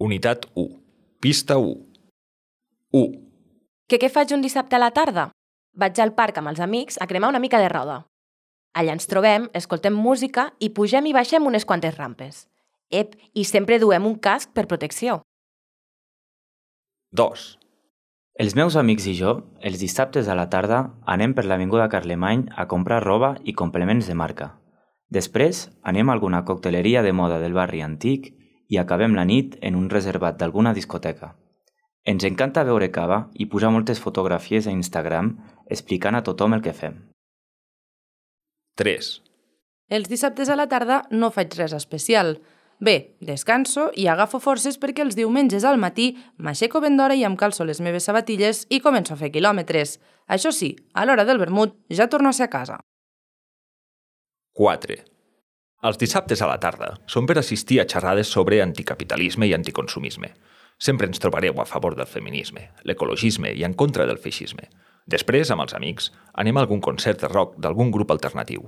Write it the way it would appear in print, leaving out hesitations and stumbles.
Unitat 1. Pista 1. 1. Què faig un dissabte a la tarda? Vaig al parc amb els amics a cremar una mica de roda. Allà ens trobem, escoltem música i pugem i baixem unes quantes rampes. I sempre duem un casc per protecció. 2. Els meus amics i jo, els dissabtes a la tarda, anem per l'avinguda Carlemany a comprar roba i complements de marca. Després anem a alguna cocteleria de moda del barri antic i acabem la nit en un reservat d'alguna discoteca. Ens encanta beure cava i posar moltes fotografies a Instagram explicant a tothom el que fem. 3. Els dissabtes a la tarda no faig res especial. Bé, descanso i agafo forces perquè els diumenges al matí m'aixeco ben d'hora i em calço les meves sabatilles i començo a fer quilòmetres. Això sí, a l'hora del vermut ja torno a ser a casa. 4. Els dissabtes a la tarda són per assistir a xerrades sobre anticapitalisme i anticonsumisme. Sempre ens trobareu a favor del feminisme, l'ecologisme i en contra del feixisme. Després, amb els amics, anem a algun concert de rock d'algun grup alternatiu.